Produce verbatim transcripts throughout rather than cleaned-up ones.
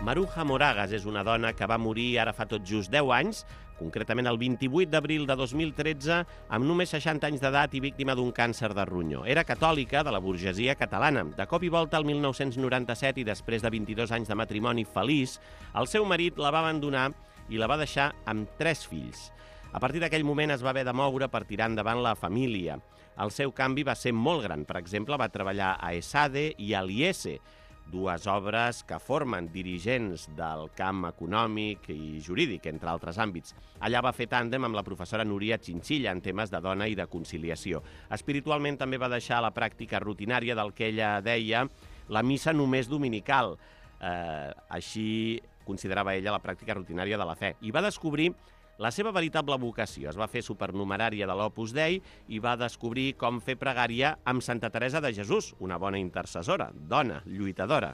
Maruja Moragas és una dona que va morir ara fa tot just deu anys, concretament el vint-i-vuit d'abril de dos mil tretze, amb només seixanta anys d'edat i víctima d'un càncer de ronyó. Era catòlica, de la burgesia catalana. De cop i volta, el mil nou-cents noranta-set, i després de vint-i-dos anys de matrimoni feliç, el seu marit la va abandonar i la va deixar amb tres fills. A partir d'aquell moment es va haver de moure per tirar endavant la família. El seu canvi va ser molt gran. Per exemple, va treballar a ESADE i a l'I E S E, dues obres que formen dirigents del camp econòmic i jurídic, entre altres àmbits. Allà va fer tàndem amb la professora Núria Chinchilla en temes de dona i de conciliació. Espiritualment també va deixar la pràctica rutinària del que ella deia la missa només dominical. Eh, així considerava ella la pràctica rutinària de la fe. I va descobrir la seva veritable vocació. Es va fer supernumerària de l'Opus Dei i va descobrir com fer pregària amb Santa Teresa de Jesús, una bona intercessora, dona, lluitadora.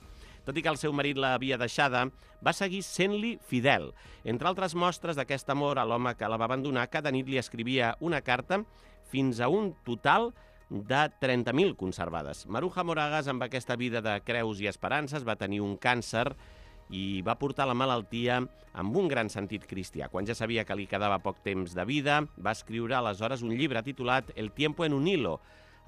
Tot i que el seu marit l'havia deixada, va seguir sent-li fidel. Entre altres mostres d'aquest amor a l'home que la va abandonar, cada nit li escrivia una carta fins a un total de trenta mil conservades. Maruja Moragas, amb aquesta vida de creus i esperances, va tenir un càncer i va portar la malaltia amb un gran sentit cristià. Quan ja sabia que li quedava poc temps de vida, va escriure aleshores un llibre titulat El tiempo en un hilo,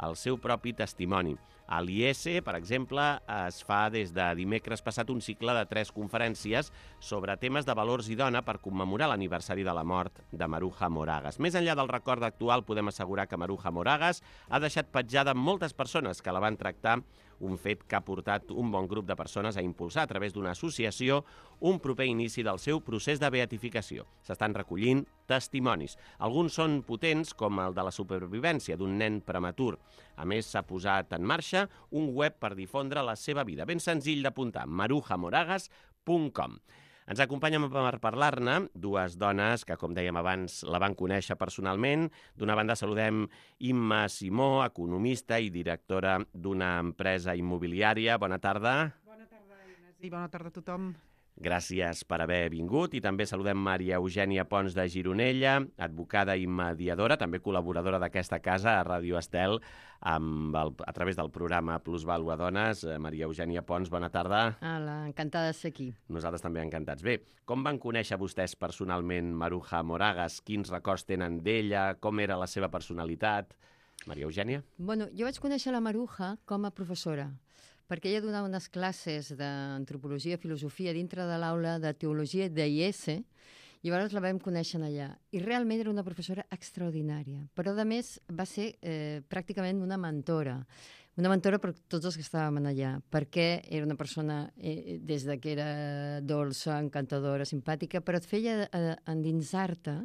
el seu propi testimoni. A l'I E S E, per exemple, es fa des de dimecres passat un cicle de tres conferències sobre temes de valors i dona per commemorar l'aniversari de la mort de Maruja Moragas. Més enllà del record actual, podem assegurar que Maruja Moragas ha deixat petjada moltes persones que la van tractar, un fet que ha portat un bon grup de persones a impulsar a través d'una associació un proper inici del seu procés de beatificació. S'estan recollint testimonis. Alguns són potents, com el de la supervivència d'un nen prematur. A més, s'ha posat en marxa un web per difondre la seva vida. Ben senzill d'apuntar, maruja moragas punt com. Ens acompanyen per parlar-ne dues dones que, com dèiem abans, la van conèixer personalment. D'una banda saludem Imma Simó, economista i directora d'una empresa immobiliària. Bona tarda. Bona tarda, Inés, i bona tarda a tothom. Gràcies per haver vingut. I també saludem Maria Eugènia Pons de Gironella, advocada i mediadora, també col·laboradora d'aquesta casa a Ràdio Estel, amb el, a través del programa Plusvàlua Dones. Maria Eugènia Pons, bona tarda. Hola, encantada de ser aquí. Nosaltres també encantats. Bé, com van conèixer vostès personalment Maruja Moragas? Quins records tenen d'ella? Com era la seva personalitat? Maria Eugènia? Bueno, jo vaig conèixer la Maruja com a professora, perquè ella donava unes classes d'antropologia i filosofia dintre de l'aula de teologia de I E S E, i llavors la vam conèixer allà. I realment era una professora extraordinària, però a més va ser eh, pràcticament una mentora. Una mentora per tots els que estàvem allà, perquè era una persona, eh, des de que era dolça, encantadora, simpàtica, però et feia eh, endinsar-te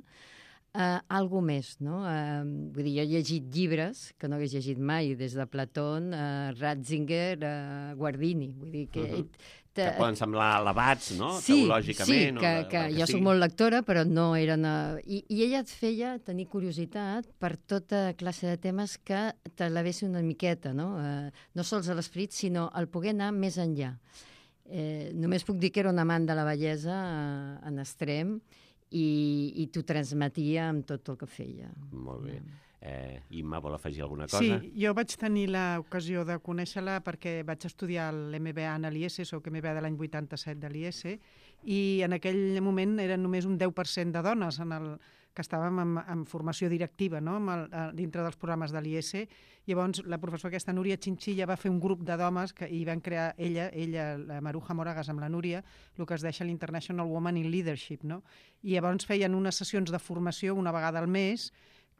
Uh, algo més, no? Uh, vull dir, jo he llegit llibres que no hagués llegit mai, des de Platón, uh, Ratzinger, uh, Guardini. Vull dir que... Uh-huh. te... Que poden semblar elevats, no? Sí, teològicament. Sí, que, o de, que, que jo sí. soc molt lectora, però no eren... Uh... I, I ella et feia tenir curiositat per tota classe de temes que te l'avessi una miqueta, no? Uh, no sols a l'esperit, sinó al poder anar més enllà. Eh, només puc dir que era un amant de la bellesa uh, en extrem, i, i t'ho transmetia amb tot el que feia. Molt bé. Eh, Imma, vol afegir alguna cosa? Sí, jo vaig tenir l'ocasió de conèixer-la perquè vaig estudiar l'M B A en l'I E S E, soc M B A de l'any vuitanta-set de l'I E S E, i en aquell moment eren només un deu per cent de dones en el, que estàvem en, en formació directiva, no? Amb el, dintre dels programes de l'I E S E. Llavors, la professora aquesta, Núria Chinchilla, va fer un grup de dones que hi van crear ella, ella, la Maruja Moragas amb la Núria, el que es deixa l'International Woman in Leadership, no? I llavors feien unes sessions de formació una vegada al mes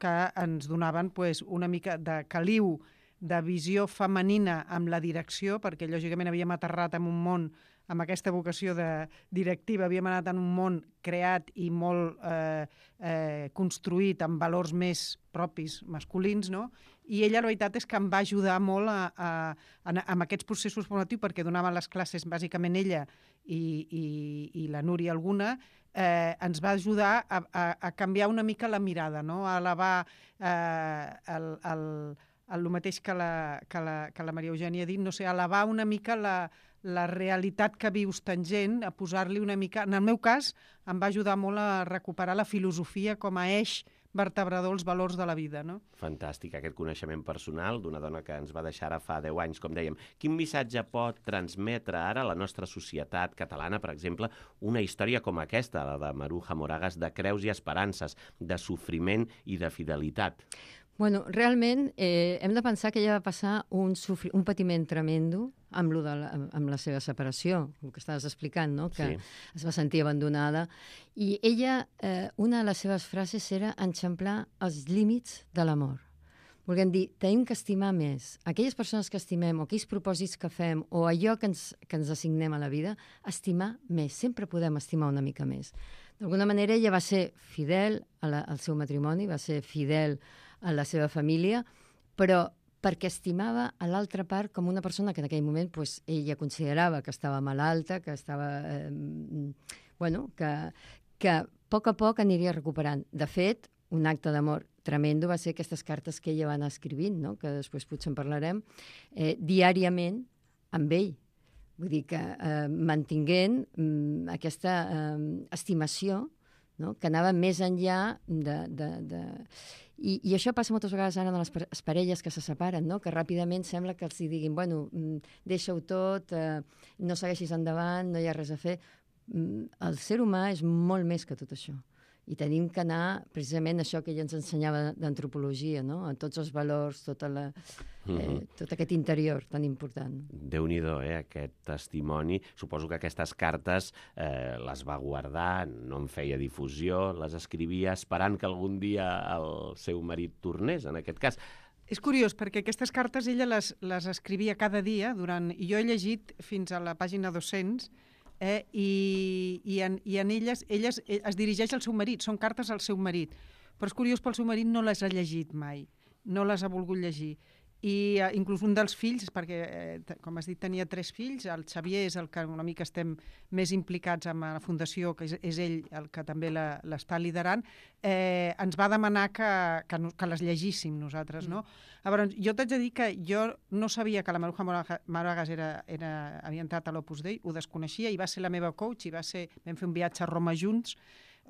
que ens donaven pues, una mica de caliu de visió femenina amb la direcció, perquè lògicament havíem aterrat en un món amb aquesta vocació de directiva, havíem anat en un món creat i molt eh, eh, construït amb valors més propis masculins, no? I ella, la veritat, és que em va ajudar molt a, a, a, a, amb aquests processos formatius, perquè donaven les classes, bàsicament ella i, i, i la Núria alguna, eh, ens va ajudar a, a, a canviar una mica la mirada, no? A elevar eh, el, el, el, el mateix que la, que, la, que la Maria Eugènia ha dit, no sé, elevar una mica la, la realitat que vius tangent, a posar-li una mica... En el meu cas, em va ajudar molt a recuperar la filosofia com a eix vertebrador els valors de la vida, no? Fantàstic, aquest coneixement personal d'una dona que ens va deixar ara fa deu anys, com dèiem. Quin missatge pot transmetre ara a la nostra societat catalana, per exemple, una història com aquesta, la de Maruja Moragas, de creus i esperances, de sofriment i de fidelitat? Bueno, realment eh, hem de pensar que ella va passar un, sofri... un patiment tremendo amb, lo de la, amb la seva separació, el que estaves explicant, no? Que sí. Es va sentir abandonada. I ella, eh, una de les seves frases era enxamplar els límits de l'amor. Volguem dir, tenim que estimar més. Aquelles persones que estimem o aquells propòsits que fem o allò que ens, que ens assignem a la vida, estimar més. Sempre podem estimar una mica més. D'alguna manera ella va ser fidel a la, al seu matrimoni, va ser fidel a la seva família, però perquè estimava a l'altra part com una persona que en aquell moment pues, ella considerava que estava malalta, que estava... Eh, bueno, que, que a poc a poc aniria recuperant. De fet, un acte d'amor tremendo va ser aquestes cartes que ella va anar escrivint, no? Que després potser en parlarem, eh, diàriament amb ell. Vull dir que eh, mantinguent mm, aquesta eh, estimació, no? Que anava més enllà de... de, de... I, I això passa moltes vegades ara en les parelles que se separen, no? Que ràpidament sembla que els diguin bueno, deixa-ho tot, eh, no segueixis endavant, no hi ha res a fer. El ser humà és molt més que tot això. I tenim que anar, precisament, això que ella ens ensenyava d'antropologia, no? En tots els valors, tota la, eh, tot aquest interior tan important. Déu-n'hi-do, eh, aquest testimoni. Suposo que aquestes cartes eh, les va guardar, no en feia difusió, les escrivia esperant que algun dia el seu marit tornés, en aquest cas. És curiós, perquè aquestes cartes ella les, les escrivia cada dia, durant, i jo he llegit fins a la pàgina dos-cents, Eh, i, i, en, i en elles, elles es dirigeix al seu marit, són cartes al seu marit, però és curiós, pel seu marit no les ha llegit mai, no les ha volgut llegir. I eh, inclús un dels fills, perquè, eh, com has dit, tenia tres fills, el Xavier és el que una mica estem més implicats amb la fundació, que és, és ell el que també l'està liderant, eh, ens va demanar que, que, que les llegíssim nosaltres, no? Mm. Llavors, jo t'haig de dir que jo no sabia que la Maruja Moragas era, era, havia entrat a l'Opus Dei, ho desconeixia, i va ser la meva coach, i va ser, vam fer un viatge a Roma junts,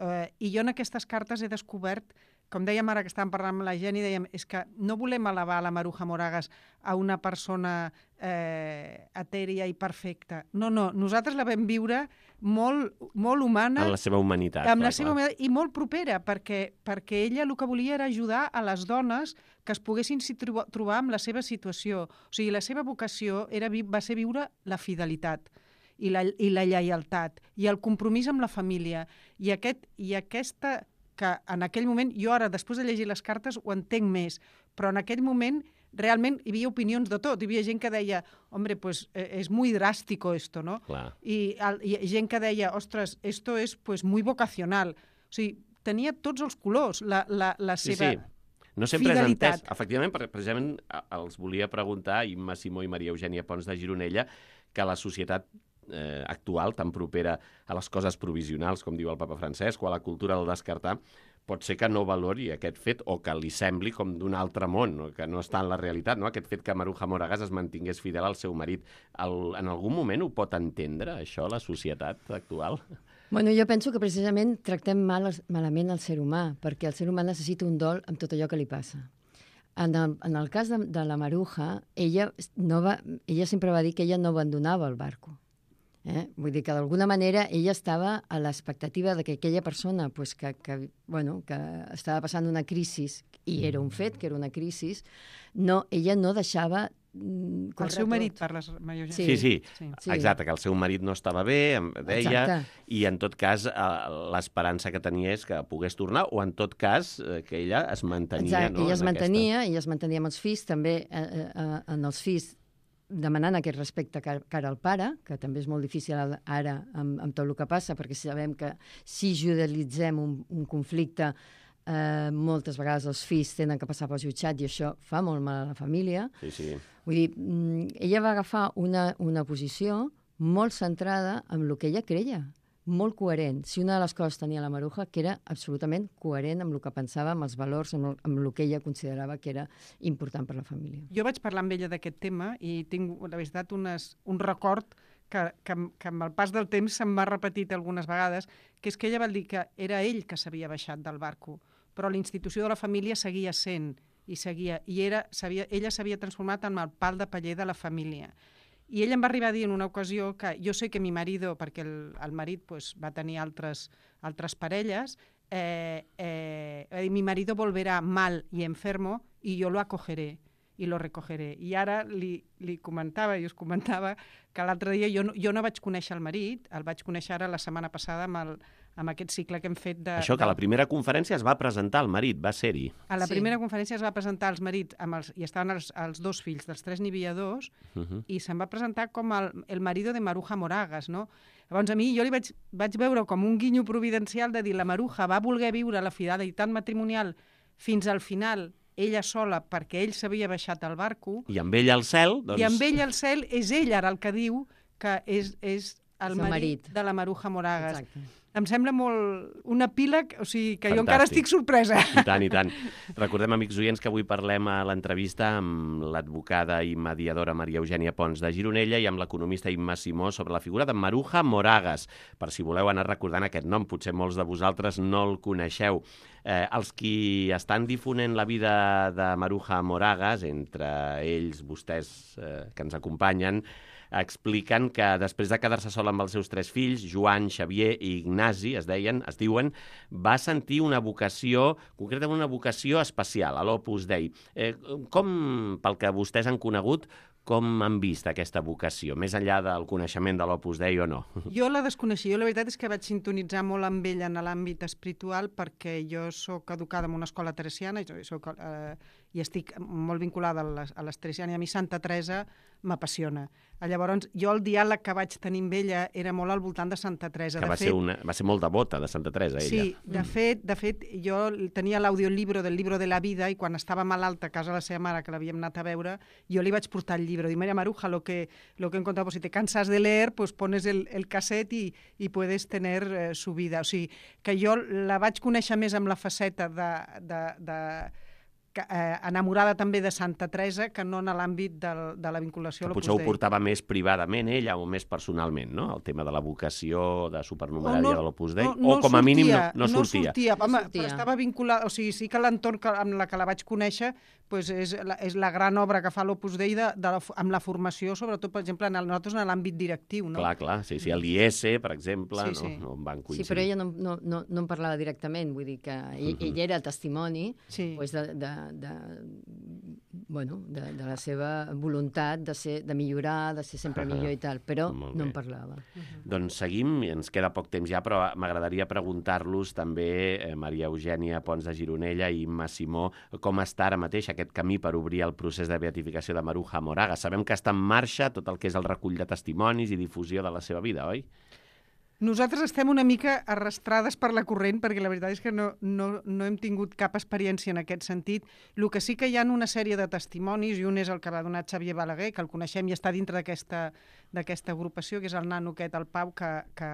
eh, i jo en aquestes cartes he descobert, com dèiem ara que estàvem parlant amb la Geni, dèiem, és que no volem elevar la Maruja Moragas a una persona eh, etèria i perfecta. No, no, nosaltres la vam viure molt, molt humana. En la seva humanitat. Amb la clar, seva clar. humanitat, i molt propera, perquè, perquè ella el que volia era ajudar a les dones que es poguessin trobar amb la seva situació. O sigui, la seva vocació era, va ser viure la fidelitat i la, i la lleialtat i el compromís amb la família. I, aquest, i aquesta... que en aquell moment, jo ara, després de llegir les cartes, ho entenc més, però en aquell moment realment hi havia opinions de tot. Hi havia gent que deia, hombre, pues es muy drástico esto, ¿no? Clar. I, I gent que deia, ostres, esto es pues muy vocacional. O sigui, tenia tots els colors, la, la, la seva sí, sí. No sempre fidelitat. És entès. Efectivament, precisament els volia preguntar, Imma Simó i Maria Eugènia Pons de Gironella, que la societat eh, actual, tan propera a les coses provisionals, com diu el papa Francesc, o a la cultura del descartar, pot ser que no valori aquest fet o que li sembli com d'un altre món, no? Que no està en la realitat, no? Aquest fet que Maruja Moragas es mantingués fidel al seu marit. El, en algun moment ho pot entendre, això, la societat actual? Bueno, jo penso que precisament tractem mal, malament el ser humà, perquè el ser humà necessita un dol amb tot allò que li passa. En el, en el cas de, de la Maruja, ella, no va, ella sempre va dir que ella no abandonava el barco. Eh? Vull dir que d'alguna manera ella estava a l'expectativa de que aquella persona pues, que, que, bueno, que estava passant una crisi, i era un fet que era una crisi, no, ella no deixava mm, el seu marit, parles, Maria Eugènia. Sí. Sí, sí, sí, exacte, que el seu marit no estava bé, em deia, exacte. I en tot cas l'esperança que tenia és que pogués tornar, o en tot cas que ella es mantenia. Exacte, no, ella es en mantenia, aquesta... ella es mantenia amb els fills, també eh, eh, en els fills demanant aquest respecte cara al pare, que també és molt difícil ara amb, amb tot el que passa, perquè sabem que si judicialitzem un, un conflicte, eh, moltes vegades els fills tenen que passar pel jutjat i això fa molt mal a la família. Sí, sí. Vull dir, ella va agafar una, una posició molt centrada en el que ella creia, molt coherent. Si una de les coses tenia la Maruja, que era absolutament coherent amb el que pensava, amb els valors, amb el, amb el que ella considerava que era important per la família. Jo vaig parlar amb ella d'aquest tema i tinc, la veritat, unes, un record que, que, que amb el pas del temps se'm va repetit algunes vegades, que és que ella va dir que era ell que s'havia baixat del barco. O però la institució de la família seguia sent, i seguia, i era, ella s'havia transformat en el pal de paller de la família. I ell em va arribar a dir en una ocasió que jo sé que mi marido, perquè el, el marit pues, va tenir altres, altres parelles, eh, eh, va dir, mi marido volverá mal y enfermo y yo lo acogeré i lo recogeré. I ara li, li comentava, i us comentava, que l'altre dia jo no, jo no vaig conèixer el marit, el vaig conèixer ara la setmana passada amb, el, amb aquest cicle que hem fet de... Això, que a la primera conferència es va presentar el marit, va ser-hi. A la Sí. primera conferència es va presentar els marits, amb els, i estaven els, els dos fills, dels tres n'hi havia dos, Uh -huh. i se'n va presentar com el, el marido de Maruja Moragas, no? Llavors a mi jo li vaig, vaig veure com un guinyo providencial de dir la Maruja va voler viure la fidelitat matrimonial fins al final, ella sola, perquè ell s'havia baixat al barco, I amb ell al cel, doncs... i amb ell al cel és ell ara el que diu que és, és el És el marit, marit. de la Maruja Moragas. Exacte. Em sembla molt un epíleg, o sigui, que Fantàstic. jo encara estic sorpresa. I tant, i tant. Recordem, amics oients, que avui parlem a l'entrevista amb l'advocada i mediadora Maria Eugènia Pons de Gironella i amb l'economista Imma Simó sobre la figura de Maruja Moragas. Per si voleu anar recordant aquest nom, potser molts de vosaltres no el coneixeu. Eh, els qui estan difonent la vida de Maruja Moragas, entre ells vostès eh, que ens acompanyen, expliquen que després de quedar-se sola amb els seus tres fills, Joan, Xavier i Ignasi, es deien, es diuen, va sentir una vocació, concretament una vocació especial, a l'Opus Dei. Eh, com, pel que vostès han conegut, com han vist aquesta vocació, més enllà del coneixement de l'Opus Dei o no? Jo la desconeixia. Jo la veritat és que vaig sintonitzar molt amb ella en l'àmbit espiritual perquè jo sóc educada en una escola teresiana i, soc, eh, i estic molt vinculada a les, a les teresianes i a mi Santa Teresa m'apassiona. Llavors, jo el diàleg que vaig tenir amb ella era molt al voltant de Santa Teresa. Que de va, fet, ser una, va ser molt devota de Santa Teresa, ella. Sí, de fet, de fet, jo tenia l'audiolibro del Libro de la Vida i quan estava malalta a casa de la seva mare, que l'havíem anat a veure, jo li vaig portar el llibre. Dic, Maria Maruja, lo que, lo que he encontrado, pues, si te cansas de leer, pues pones el, el cassette i, i puedes tener eh, su vida. O sigui, que jo la vaig conèixer més amb la faceta de... de, de eh, enamorada també de Santa Teresa que no en l'àmbit de, de la vinculació a Que l'Opus potser ho Dei. portava més privadament ella o més personalment, no? El tema de la vocació de supernumerària de l'Opus Dei, no, no o com a mínim no, no no sortia. sortia. Home, No sortia. però estava vinculada, o sigui, sí que l'entorn que- amb la que la vaig conèixer pues és, la, és la gran obra que fa l'Opus Dei de, de la, amb la formació, sobretot, per exemple, en el, nosaltres en l'àmbit directiu, no? Clar, clar, sí, sí, l'I S, per exemple, Sí, sí. no, no en van Sí, coincidir. però ella no, no, no, no en parlava directament, vull dir que ell, ell era el testimoni Sí. pues, de, de, de, bueno, de, de la seva voluntat de, ser, de millorar, de ser sempre millor i tal, però Molt no bé. en parlava. Doncs seguim, i ens queda poc temps ja, però m'agradaria preguntar-los també, eh, Maria Eugènia Pons de Gironella i Imma Simó, com està ara mateix aquest camí per obrir el procés de beatificació de Maruja Moragas. Sabem que està en marxa tot el que és el recull de testimonis i difusió de la seva vida, oi? Nosaltres estem una mica arrastrades per la corrent perquè la veritat és que no, no, no hem tingut cap experiència en aquest sentit. El que sí que hi ha una sèrie de testimonis, i un és el que va donar Xavier Balaguer, que el coneixem i està dintre d'aquesta d'aquesta agrupació, que és el nano aquest, el Pau, que, que,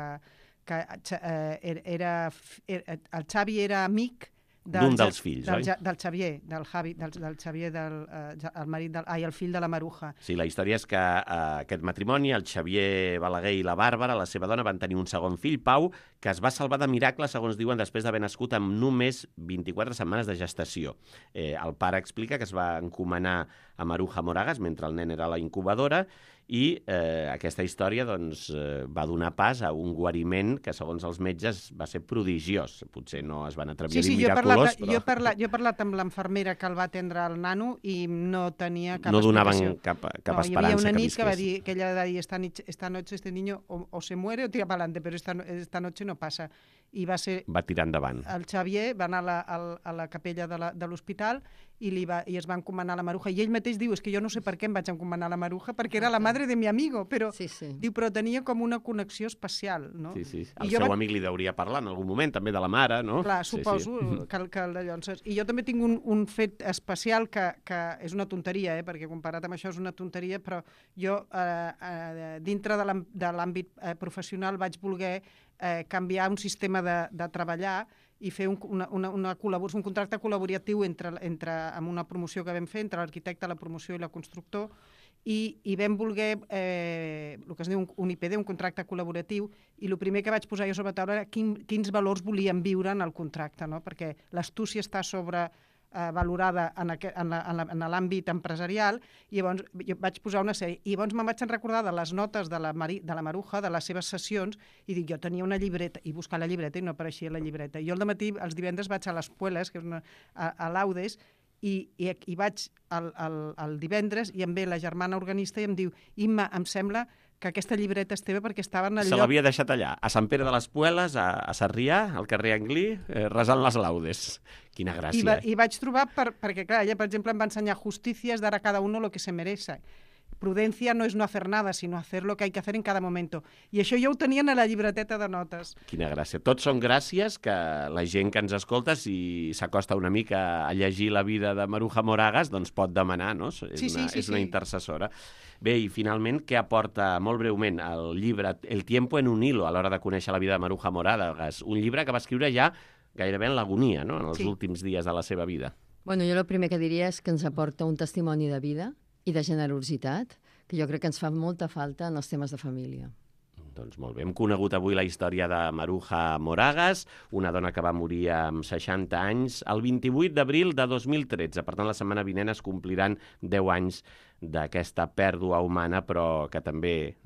que eh, era, era, el Xavi era amic D'un dels fills, del, oi? Ja- del Xavier, del Javi, del, del Xavier, del, eh, ja- el marit del, ai, el fill de la Maruja. Sí, la història és que eh, aquest matrimoni, el Xavier Balaguer i la Bàrbara, la seva dona, van tenir un segon fill, Pau, que es va salvar de miracle, segons diuen, després d'haver nascut amb només vint-i-quatre setmanes de gestació. Eh, el pare explica que es va encomanar a Maruja Moragas mentre el nen era a la incubadora i eh, aquesta història doncs, eh, va donar pas a un guariment que, segons els metges, va ser prodigiós. Potser no es van atrevir Sí, a sí, dir jo he, miraculós, parlat, però jo, he parlat, jo he parlat amb l'enfermera que el va atendre el nano i no tenia cap no donaven explicació. cap, cap no, hi esperança havia una que nit que va visqués. dir que ella va dir esta, nit, esta noche este niño o, o se muere o tira para adelante, pero esta, no- esta noche no pasa. I va ser Va tirar endavant. el Xavier, va anar a la, a, a la capella de la- de l'hospital i, li va, i es va encomanar la Maruja. I ell mateix diu, és que jo no sé per què em vaig encomanar la Maruja, perquè era la madre de mi amigo, però, Sí, sí. diu, però tenia com una connexió especial, no? Sí, sí. I El jo seu vaig- amic li deuria parlar en algun moment, també de la mare, no? Clar, Sí, sí. suposo que, el- que el d'allò. Saps? I jo també tinc un, un fet especial que, que és una tonteria, eh? perquè comparat amb això és una tonteria, però jo, eh, eh, dintre de l'àm- de l'àmbit eh, professional, vaig voler eh, canviar un sistema de, de treballar i fer un, una, una, una col·labor un contracte col·laboratiu entre, entre, amb una promoció que vam fer entre l'arquitecte, la promoció i la constructor, i, i vam voler, eh, el que es diu un, un I P D, un contracte col·laboratiu, i el primer que vaig posar jo sobre la taula era quin, quins valors volíem viure en el contracte, no? Perquè l'astúcia està sobre eh, valorada en, aqu en, la, en, la, en l'àmbit empresarial, i llavors jo vaig posar una sèrie. I llavors me'n vaig recordar de les notes de la, Mari, de la Maruja, de les seves sessions, i dic, jo tenia una llibreta, i buscar la llibreta i no apareixia la llibreta. I jo al dematí, els divendres, vaig a les Pueles, que és una, a, a l'Audes, i, i, i vaig al, al, al divendres i em ve la germana organista i em diu, Imma, em sembla que aquesta llibreta és teva perquè estava en el Se lloc... l'havia deixat allà, a Sant Pere de les Pueles, a, a Sarrià, al carrer Anglí, eh, resant les laudes. Quina gràcia. I, va, i vaig trobar, per, perquè clar, ella, per exemple, em va ensenyar justícies dar a cada uno lo que se merece. Prudencia no és no hacer nada, sinó hacer lo que hay que hacer en cada momento. I això ja ho tenien a la llibreteta de notes. Quina gràcia. Tots són gràcies que la gent que ens escolta, si s'acosta una mica a llegir la vida de Maruja Moragas, doncs pot demanar, no? És, sí, una, sí, sí, és una sí. intercessora. Bé, i finalment, què aporta, molt breument, el llibre El tiempo en un hilo, a l'hora de conèixer la vida de Maruja Moragas? Un llibre que va escriure ja gairebé en l'agonia, no? En els sí. últims dies de la seva vida. Bueno, jo el primer que diria és que ens aporta un testimoni de vida i de generositat, que jo crec que ens fa molta falta en els temes de família. Doncs molt bé, hem conegut avui la història de Maruja Moragas, una dona que va morir amb seixanta anys el vint-i-vuit d'abril de dos mil tretze. Per tant, la setmana vinent es compliran deu anys d'aquesta pèrdua humana, però que també